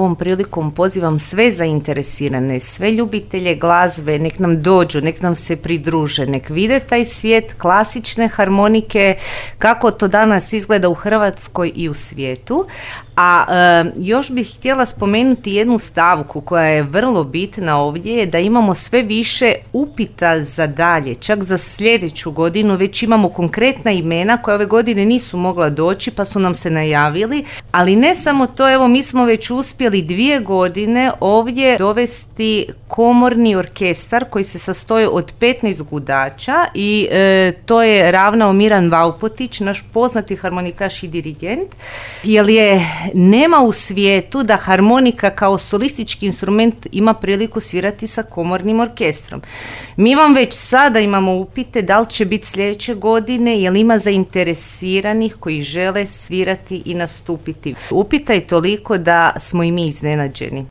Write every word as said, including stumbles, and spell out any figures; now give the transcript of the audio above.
ovom prilikom pozivam sve zainteresirane, sve ljubitelje glazbe, nek nam dođu, nek nam se pridruže, nek vide taj svijet klasične harmonike, kako to danas izgleda u Hrvatskoj i u svijetu. A e, još bih htjela spomenuti jednu stavku koja je vrlo bitna ovdje, je da imamo sve više upita za dalje, čak za sljedeću godinu već imamo konkretna imena koja ove godine nisu mogla doći pa su nam se najavili, ali ne samo to, evo mi smo već uspjeli dvije godine ovdje dovesti komorni orkestar koji se sastoji od petnaest gudača i e, to je ravnao Miran Vaupotić, naš poznati harmonikaš i dirigent, jer je nema u svijetu da harmonika kao solistički instrument ima priliku svirati sa komornim orkestrom. Mi vam već sada imamo upite da li će biti sljedeće godine, jer ima zainteresiranih koji žele svirati i nastupiti. Upita je toliko da smo i mi iznenađeni.